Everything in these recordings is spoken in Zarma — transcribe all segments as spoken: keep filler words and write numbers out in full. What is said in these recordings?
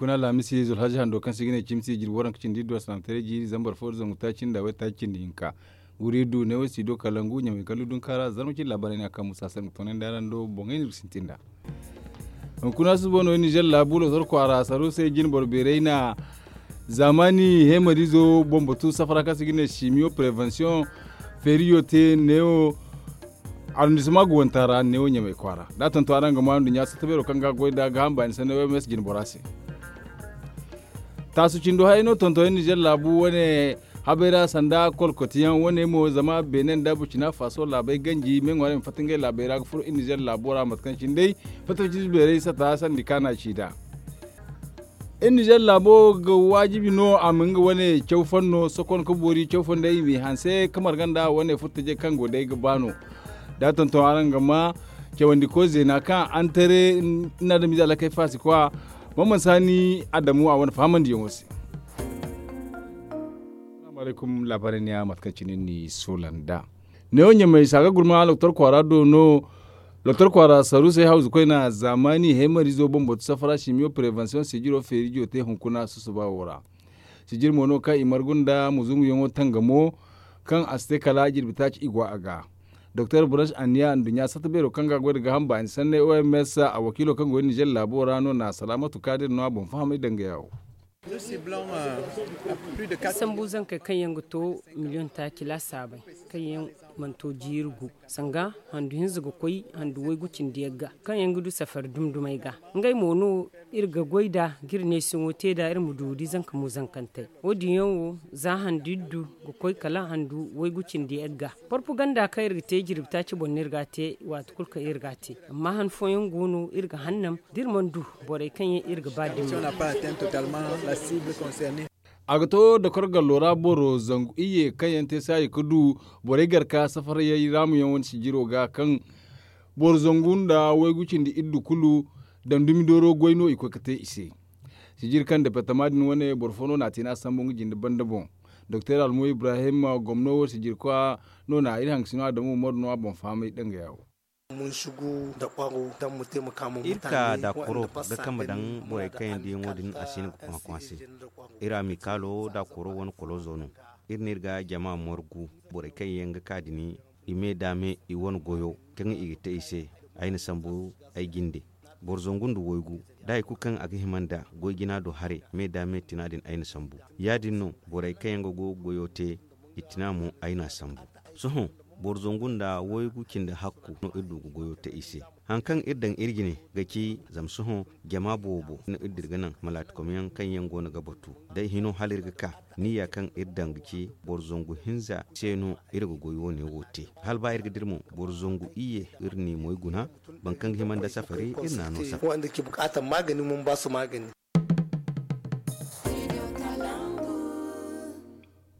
Kuna alhamisi zulhaji hando kaŋ se i ga ne cimsi jirbi waranka cindi iddu a sanaamataray jiiri zambar fo da zangu taaci nda waytaaci cindi hinka. Wuri iddu neewo si do kala ngu ɲamay kala dudun kaara zarma cindi laabaarey ne a kaŋ musa sanda ga toonandi araŋ do boŋey no iri ga sintin nd'a. Hunkuna suba no nizer laabu lotor kwaara saru se jine boro beeray na zaamaani heemariizo boŋ batu safara kaŋ se i ga ne simiyo prevensiyoŋ feeriyo te neewo arrondissement ga wanta ra neewo ɲamay kwaara da a tonton araŋ ga ma nduɲɲa satta beero kaŋ ga a goy nd'a ga hamba ni sanni oms jine bora se. Taasu cindo hayey no tonton nizer laabu wane habay ra sanda kolkotiyaŋ wane mo zama beene nda burcina faso laabey ganji me ŋwaarey ma fatta ngey laabey ra ga furo nizer laabo ra mate kaŋ cine day fatta fatta beerey sata sandi kaana ci nd'a. Iri nizer laabo ga waajibi no a ma nga wane caw fanno sokon ga boori caw fondey i m'i hanse ga marga nda wane furtajey kaŋ go day ga ba no. Da a tonton araŋ ga ma cawandiko zeena kaŋ antare ni adamize alakey faasi kwa. Mamman saani adamu a wane fahamandiyaŋo se. Salaamu alaykum laabaarey ne ya mate kaŋ cine ni soola nd'a. Neewo ɲamay saaga gurma loktor kwaara do no. Loktor kwaara saruusey hawzu koyna zaamaani heemariizo boŋ batu safara simiyo prevensiyoŋ sijiro feerijo te hunkuna susuba wo ra. Sijir mo no kaŋ i margu nda muzunguyaŋo tangamo kaŋ a si te kala jirbi taaci i go a ga. Doktor branch anniya nduɲɲa satta beero kaŋ ga a goy nda gaaham baani sanney oms a wakiilo kaŋ go nizer laabo ra no na salaamatu kaadir no a boŋ fahamay dangaya wo. Sambu zankey kaŋ yaŋ ga to miliyoŋ taaci laasaabey kaŋ yaŋ mana to jiiri gu sanga handu hinza ga koy handu waygu cindi yagga kaŋ yaŋ ga du safari dumdumey ga. Ngey mo no iri ga goy nd'a ga iri neesiŋo te nd'a iri ma du ga di zanka muzankantey. Wo- din yaŋ wo za handu iri du ga koy kala handu waygu cindi yagga. Porpaganda kaŋ iri ga te jirbi taaci boŋ no iri ga a te waati kulu kaŋ iri ga a te. Amma han fooyaŋ go no iri ga hannam da iri mana du borey kaŋ yaŋ iri ga ba dumi. A ga to dokor gallo ra boro zangu iyye kaŋ yaŋ te saayi ga du borey garka safarayey raamuyaŋ wane sijiro ga kaŋ boro zangu nda waygu cindi iddu kulu daŋ dumi dooro goy no i koy ga te i se. Sijir kaŋ departama din wane boro fo no na a te no a sambu nga jinde banda boŋ. Doktor almo ibrahim gomno wo sijirkwa no na iri hankasino adamu umaru no a boŋ fahamay dangaya wo. Iri ka daakoro ga kambe daŋ borey kaŋ yaŋ diyaŋo din a si hin ga kwaŋ-kwaŋ se. Iri amikaalo daakoro wane kolozo no. Iri no iri ga jama margu borey kaŋ yaŋ ga ka din i me da me i wane goyo kaŋ i ga te i se. Ay na sambu ay jinde boro zangu nda waygu da hari kulu kaŋ a ga hima nda goy jina do haray me da me tina din ay na sambu. Ya- din no borey kaŋ yaŋ ga goyo te i tina mo ay n'a sambu. Sohõ boro zangu nda waygu cindi hakku no iri du ga goyo te i se. Haŋ kaŋ iri daŋ iri jine ga ci zama sohõ jama boobo no iri dira ga naŋ malaatikom yaŋ kaŋ yaŋ go no ga batu. Day hino hala iri ga ka niyya kaŋ iri daŋ ga ci boro zangu hinza se no iri ga goy wo- ne wo te. Hala ba iri ga dira mo boro zangu iyye iri n'i moy guna. Boro kaŋ ga hima nda safari iri n'a no safari.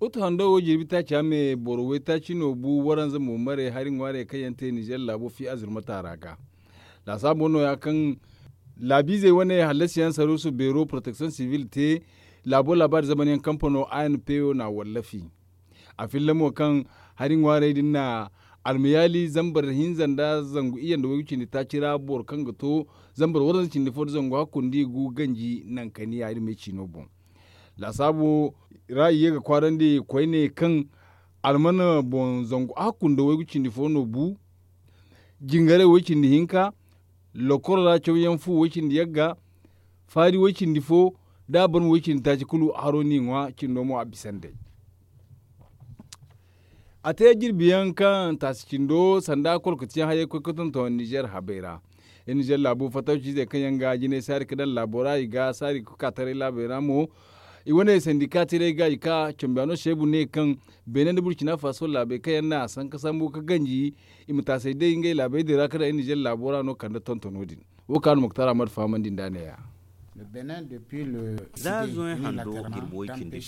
Utu hando wo jirbi taaci a me boro waytaaci no bu waranza mo maray hari ŋwaarey kaŋ yaŋ te nizer laabo fi azurmata ra ga. Laasaabo nooya kaŋ laabiizey wane hallasiyaŋ saruusu beero poroteksiyoŋ sibil te laabo laabaari zamanyaŋ kampano a n p o n'a wallafi. A filla mo kaŋ hari ŋwaarey din na almayaali zambar hinza nda zangu iyye nda waygu cindi taaci ra boro kaŋ ga to zambar waranza cindi fo nda zangu hakku nda i gu ganji nankaniya iri me ciino boŋ. Laasaabu ra i ye ga kwaarandi koyne kaŋ almana boŋ zangu hakku nda waygu cindi fo no bu. Jingaray way cindi hinka, lokoro ra cawyaŋ fu way cindi yagga, faari way cindi fo, da a barma way cindi taaci kulu haro n'i ŋwa cindo mo a bisa nd'ey. A te jirbi yaŋ kaŋ taasi cindo sanda kolkatiyaŋ hayey koy ga tonton nizer habey ra. Nizer laabu fatawciizey kaŋ yaŋ ga jinay saari ga daŋ laabo ra i ga saari ga ka taray laabey ra mo. I wane sandika tiray ga i ka cambiyaano seebu ne kaŋ beene nda burcina faso laabey kaŋ yaŋ na a sanka sambu ga ganji i ma taasay day ngey laabey din ra ga daŋ nizer laabo ra no kande tontono din. Wo kaŋ a na muktar ahmad fahamandi nd'a neeya. Za zuway hando jirbi way cindi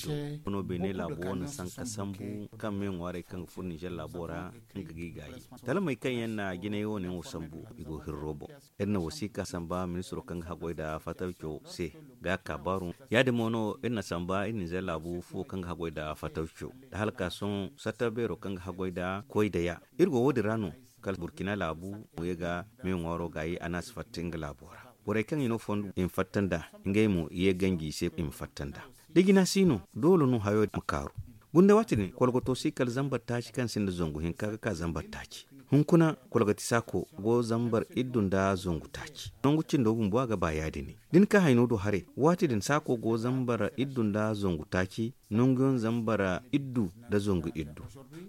do no beene laabo wane sanka sambu kaŋ me ŋwaaray kaŋ ga furo nizer laabo ra nga ga i gaayi. Talamey kaŋ yaŋ na jinay wane wo sambu i go hirro boŋ. Iri na wasiika samba ministiro kaŋ ga haggoy nda fatawco se ga a kaabaaru. Ya- din mo no iri na samba iri nizer laabu fuwo kaŋ ga haggoy nda fatawco nda hala ka sohõ satta beero kaŋ ga haggoy nda koy nda ya. Iri go wo- din ra no kala burkina laabu mo ye ga me ŋwaaro gaayi a na a si fatta nga laabo ra. Borey kaŋ i no fondo i ma fatta nd'a, ngey mo i ye ganji i se i ma fatta nd'a. Da jina si no, doole no hayo ma kaaru. Gunda waati din kolgoto si kala zambar taaci kaŋ sinda zangu hinka ga ka zambar taaci. Hunkuna kolgati saako go zambar iddu nda zangu taaci. Nangu cindo bumbo a ga ba ya- din. Da ni ka hayno do haray, waati din saako go zambar iddu nda zangu taaci, nanguyaŋ zambar iddu nda zangu iddu.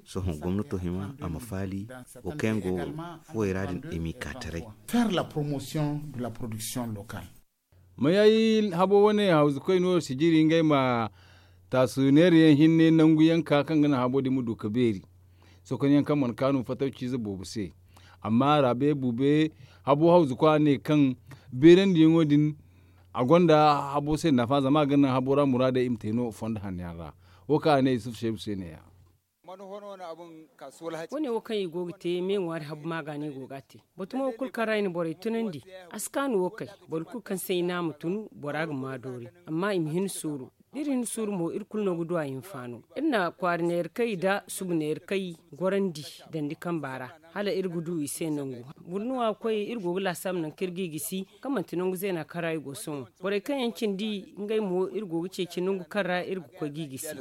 Sohõ gomnato hima a ma faali wo kaŋ yaŋ go fuwey ra din i m'i ka taray. Faire la promotion de la production locale. Mayayi habo wane hawzukoy no sijiri ngey ma taasu neerayaŋ hinne nangu yanka kaŋ ga naŋ habo din ma du ga beeri. Sokonyaŋ kaŋ mana kaanu fatawciize boobo se. Amma raabe bube habo hawzukoy a ne kaŋ beerandiyaŋo din a gonda habo se nafa zama a ga naŋ habo ra muraadey i ma te no fondo hanno yaŋ ra. Wo kaŋ a ne yusuf seebu se ne- ya. Wane wo kaŋ i go ga te me ŋwaari habu maaga no i go ga a te. Batumo wo kulu kaŋ ra i na borey tunandi, a si kaanu wo kay. Boro kulu kaŋ se i ne a ma tun, bora ga ma doori. Amma i ma hin suuru. Da iri hin suuru mo iri kulu no ga du a hinfaano. Iri na kwaari neerkay nda subu neerkay gorandi dandi kamba ra, hala iri ga du i se nangu. Burnuwa koy iri go ga laasaabu nangu kaŋ iri ga i gisi, kaŋ manti nangu zeena kaŋ ra i go sohõ. Borey kaŋ yaŋ cindi ngey mo iri go ga ceeci nangu kaŋ ra iri ga koy ga i gisi.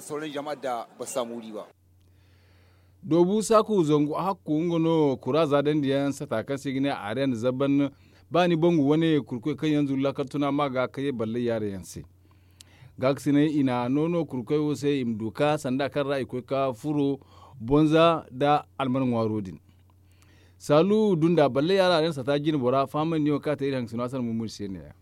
Doobu saaku zangu hakku nga no kura za dandiyaŋ sata kaŋ se i ga ne areena zaban. Ba ni bangu wane kurkoy kaŋ yaŋ zuru laakal tuna ma ga ka ye ballay yaara yaŋ se. Gaakasinay i na noono kurkoy wo se i ma du ka sanda kaŋ ra i koy ka furo bonza nda alman ŋwaaro din. Saalu dunda ballay yaara areena sata jine bora fahamandiyaŋo kaŋ a te iri haŋ ga sino a sanda mumuni se ne- ya.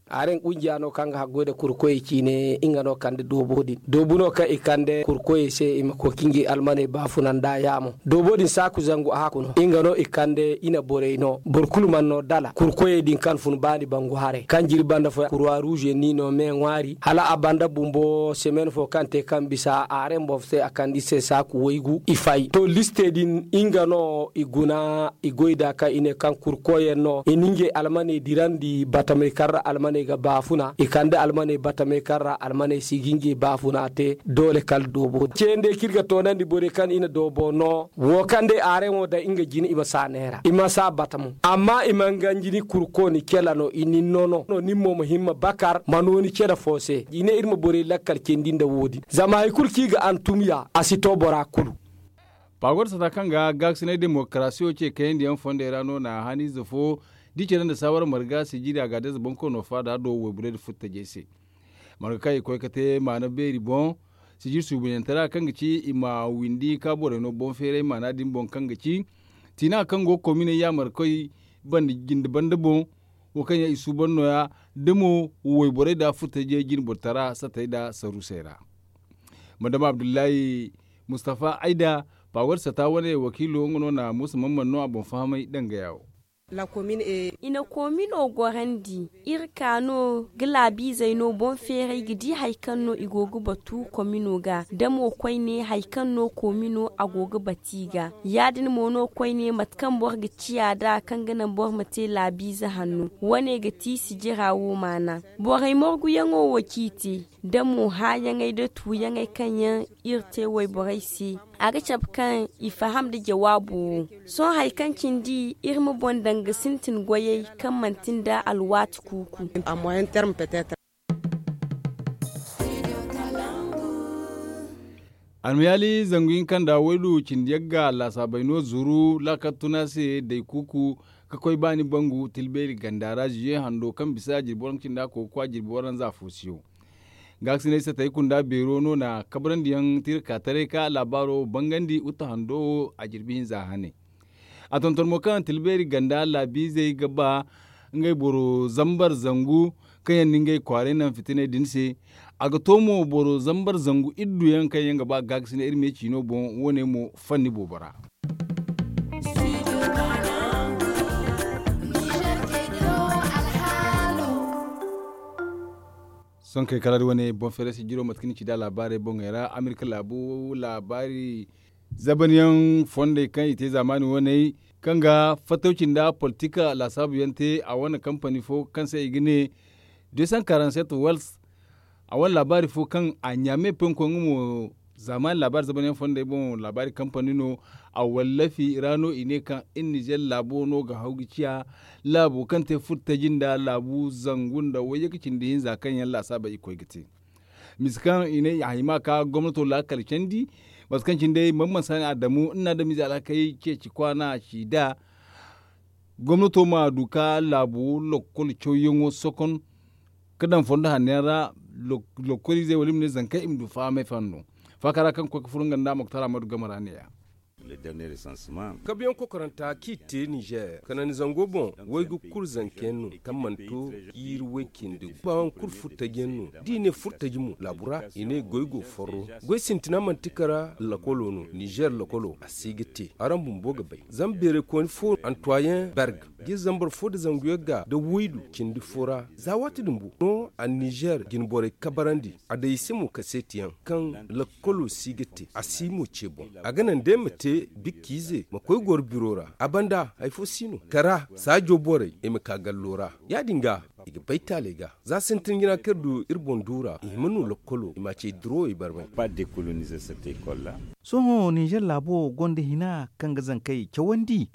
Aren kungiya no kaŋ ga haggoy nda kurkoyey ciine nga no kande doobo din doobu no kaŋ i kande kurkoyey se i ma koy ka ngey almaney baafuna nda yaamo. Doobo din saaku zangu a hakku no nga no i kande i na borey no boro kulu mana no dala kurkoyey din kaŋ fun baani bangu haray kaŋ jiri banda fo kurwa ruuze ni no me ŋwaari hala a banda bumbo semen fo kaŋ te kaŋ bisa aren boŋ se a kande i se saaku waygu i fay to liste din nga no i guna i goy nd'a kaŋ i ne kaŋ kurkoyaŋ no i na ngey almaney dirandi batamey kaŋ ra almaney ga baafuna i kande almaney batamey kaŋ ra almaney si ga ngey baafuna te doole kala doobo ceenday kaŋ iri ga toonandi borey kaŋ i na doobo no wo kaŋ day areŋo daŋ nga jine i ma si a neera i ma si a bata mo amma i mana ganji ni kurko ni cela no i nin no no nin mo ma himma bakar ma no ni cela fo se i ne iri ma borey lakkal cendi nda wo- din zama hari kulu kaŋ i ga antum ya a si to bora kulu. Pagor sata kaŋ ga gaakasinay demokarasiyo ce kayandiyaŋ fondey ra no na haniize fo da i care nda saawara marga sijiri a ga adayze bonkoono faada do wayborey nda furtajey se. Marga kaŋ i koy ga te maana beeri boŋ sijiri suubunyantara kaŋ ga ci i ma windi ka borey no boŋ feeray maana din boŋ kaŋ ga ci tiina kaŋ go ga kominey yaamarkoy banda jinde banda boŋ. Wo kaŋ yaŋ i suuban nooya da mo wayborey nda furtajey jine borotara satey nda sarusey ra. Madama abdullahi mustafa ayda pawar sata wane wakiilo nga no na muusa mamman no a boŋ fahamay danga yaawo. I na koomino gorandi iri ka no ga laabiizey no boŋ feeray ga di hari kaŋ no i go ga batu koomino ga da mo koyne hari kaŋ no koomino a go ga batu i ga. Ya- din mo no koyne mate kaŋ boro ga ciya nd'a kaŋ ga naŋ boro ma te laabiize hanno wane ga ti sijira wo maana. Borey morguyaŋo wo ciiti da mo hããyaŋey da tuuyaŋey kaŋ yaŋ iri te wayborey se. A ga cabe kaŋ i faham nda jawaabo wo. Sohõ hari kaŋ cindi iri ma boŋ daŋ ga sintin goyey kaŋ manti nda alwaati kuuku. Almayaali zangu hinka nda waydu cindi yagga laasaabey no zuru laakal tuna se day kuuku ka koy baani bangu tilbeeri ganda ra ziye hando kaŋ bisa jirbi waranka cindi a koy ga koy a jirbi waranza fo siyo. Gaakasinay satey kunda beero no na kabrandi yaŋ tiiri ka taray ka laabaaro bangandi uta hando wo a jirbi hinza hane. A tonton mo kaŋ tilbeeri ganda laabiizey ga ba ngey boro zambar zangu kaŋ yaŋ na ngey kwaaray naŋ fitiney din se. A ga to mo boro zambar zangu iddu yaŋ kaŋ yaŋ ga ba gaakasinay iri me ciino boŋ wo- ne mo fanni boobo ra. Sonkey kala da wane boŋ feeray sijiro mate kaŋ ni ci da laabaarey boŋey ra amerika laabu laabaari zabanyaŋ fondey kaŋ i te zaamaani waney kaŋ ga fattawci nda politika laasaabuyaŋ te a wane kampani fo kaŋ se i ga ne deux cent quarante-sept wells. A wane laabaari fo kaŋ a ɲaame penko nga mo Zaamaani laabaari zabanyaŋ fondey boŋ laabaari kampani no. A wallafi ra no i ne kaŋ iri nizer laabo no ga haw ga ciya laabo kaŋ te furtaji nda laabu zangu nda wayye ga cindi hinza kaŋ yaŋ laasaabey i koy ga te. Misa kaŋ i ne a hima ka gomnato laakal candi. Mate kaŋ cine day man man saani adamu nda adamize alhakey ceeci kwaana ci da gomnato ma du ka laabu lakkol cawyaŋo sokon ka daŋ fondo hanno yaŋ ra. Lakkol izey wala i ma ne zankey i ma du fahamay fanno faaka ra kaŋ ga koy ga furo nga nda a ma ga tara ma du game ra ne- ya. Kabuyaŋ kokoranta kaŋ i te nizer kanandi zango boŋ waygu kulu zanka yaŋ no kaŋ mana to jiiri way cindi baayaŋ kulu furtaji yaŋ no da i ne furtaji mo laabu ra i ne goy go forro. Goy sintina manti kara lakkolo no nizer lakkolo a si ga te araŋ bumbo ga bay zama beeraykooni fo antuwayeŋ berg ga i zambar fo nda zangu yagga nda waydu cindi fo ra za waati din bumbo no a nizer jine borey kabarandi. A day i se mo kaseetiyaŋ kaŋ lakkolo si ga te a si mo ce boŋ a ga naŋ day ma te bikka ize ma koy goro biro ra a banda hari fo si no kara saajo borey i ma ka gallo ra. Ya- din ga i ga bay taaley ga za sintin jina kaŋ iri du iri boŋ duura i hima no lakkolo i ma a ce i duro i barmay. Sohõ ninzeer laabo gonda hina kaŋ ga zankey cawandi.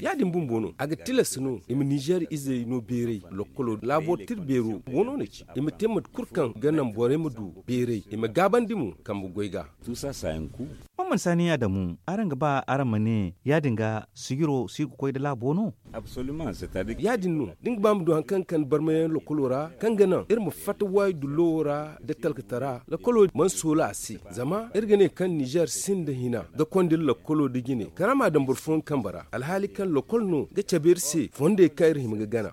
Ya- din bumbo no a ga tilas no i ma ninzeer izey no beeray lakkolo laabo tira beero go no na ci i ma te mate kulu kaŋ ga naŋ borey ma du beeray i ma gaabandi mo kambe goy ga. Tuusa saayanku. Mamman saani adamu araŋ ga ba araŋ ma ne ya- din ga sijiro si ga koy nda laabo no? Ya- din no da ni ga ba ma du hari kaŋ ga kande barmayaŋ lakkolo ra kaŋ ga naŋ iri ma fatta waayi dullowo ra nda talkatara lakkolo mana soola a se. Zama iri ga ne kaŋ ninzeer sinda hina ga konda iri lakkolo nda jine kala a ma a daŋ boro fooyaŋ kambe ra alhaali kaŋ lakkol no ga cabe iri se fondey kaŋ iri hima ga gana.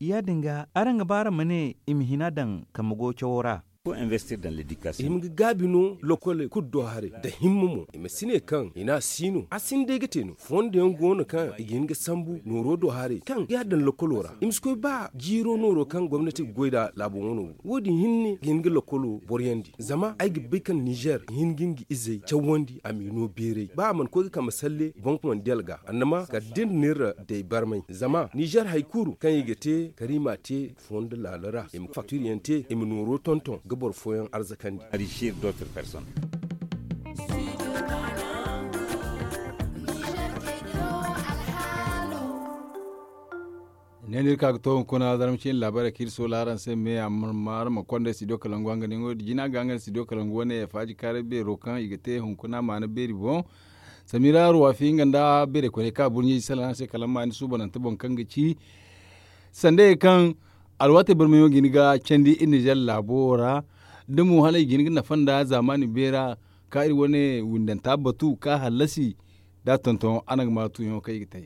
Ya- din ga araŋ ga ba araŋ ma ne i ma hina daŋ kambe goyo cawo ra? I ma ga gaabi no lokole kulu do haray nda himma mo i ma si ne kaŋ i ne a si no a sinda ay ga te no fondo yaŋ go no kaŋ i ga hin ga sambu nooro do haray kaŋ ga a daŋ lokolo ra i ma si koy ba jiiro nooro kaŋ gomnati ga goy nd'a laabo wano. Wo- din hinne ga hin ga lokolo boroyandi zama ay ga bay kaŋ nizer ga hin ga nga izey cawandi a m'i no beeray ba a mana koy ga kambe salle boŋ mondyal ga annama kala da iri na iri day barmay zama nizer hari kulu kaŋ i ga te kala i m'a te fondo laalo ra i ma faktiriyaŋ te i ma nooro tonton ga boro fooyaŋ arzakandi. Ne no iri ka ga to hunkuna zarma ciine laabaarey kaŋ iri soola araŋ se me a ma araŋ ma konda studio kalangu hanganyaŋo din jina ga nga studio kalangu wane faaji kaaray beero kaŋ i ga te hunkuna maana beeri boŋ. Samira ruwafi nga nda beeray koyney kaŋ a burɲey salaŋ araŋ se kala ma ni suubanante boŋ kaŋ ga ci sandayey kaŋ alwaatey barmayaŋo ga hin ga candi iri nizer laabo wo ra da mo hala i ga hin ga nafa nda zaamaani beera ka iri wane windanta batu ka hallasi da a tonton araŋ ga ma tuuyaŋo kaŋ i ga te.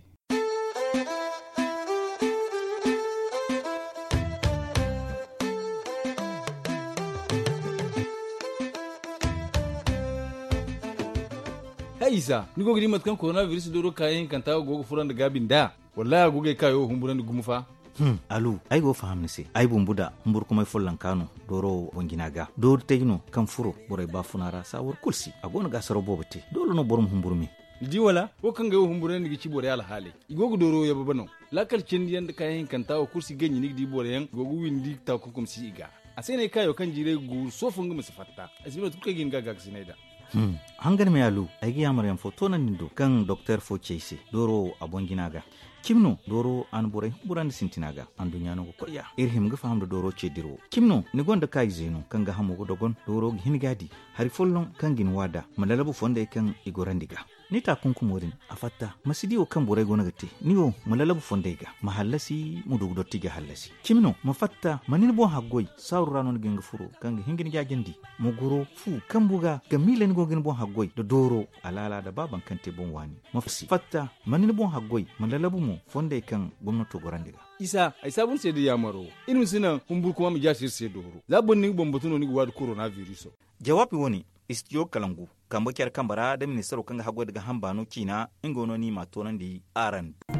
Hay isa ni go ga di mate kaŋ koronabiriso dooro kaayaŋ hinkanta go ga fura nda gaabi nd'a? Wallahi a go ga ay kaayo humburandi gumo fa. Alu ay go ga faham ni se ay bumbu da humburkumay follonka no dooro boŋ jina ga doori taji no kaŋ furo borey baafuna ra saawar kulu se a go no ga asaraw boobo te doole no boro ma humburu me. Ni di wala wo kaŋ ga ay wo humburandi ga ci borey alhaaley i go ga dooro yababe no. Laakal cindiyaŋ nda kaayaŋ hinkanta wo kulu si ganji ni ga di boroyaŋ i go ga windi taakunkum si i ga. A se no ay kaayo kaŋ jiiray ga guuru soofo nga ma si fatta ay si bay mate kulu kaŋ ay ga hin ga a gaakasinay nd'a. Hangan me alu ay ga yaamaryaŋ fo toonandi ni do kaŋ doktor fo ci ay se dooro wo a boŋ jina ga. Cimi no dooro wo a na borey humburandi sintina ga anduɲɲa no ga koy ya iri hima ga faham nda dooro ce dirawo cimi no ni gonda kaayize no kaŋ ga hamo ga dogon dooro ga hin ga a di hari folloŋ kaŋ ga ni wa nd'a ma lalabu fondey kaŋ i gorandi ga. Ni taakunkumo din a fatta ma si di wo kaŋ borey go no ga te ni wo ma lalabu fondey ga ma hallasi ma du ga dotti ga hallasi cimi no ma fatta ma ni ni boŋ haggoy saaru ra no ni ga hin ga furo kaŋ ga hin ga ni jaajandi ma goro fu kambu ga ga miila ni go ga ni boŋ haggoy nda dooro alaala nda baaban kaŋ te boŋ waani ma si fatta ma ni ni boŋ haggoy ma lalabu mo fondey kaŋ gomnato gorandi ga. Isa ay saabu ni se da yaamaro iri ma si naŋ humburkuma ma jaasi iri se dooro za boro ni ga boŋ batu no ni ga waadi koronabiriso. Jawaabi wo-ne istidiyo kalangu kambe care kambe ra nda ministaro kaŋ ga haggoy nda gaaham baano ciina nga wo no ni m'a toonandi araŋ do.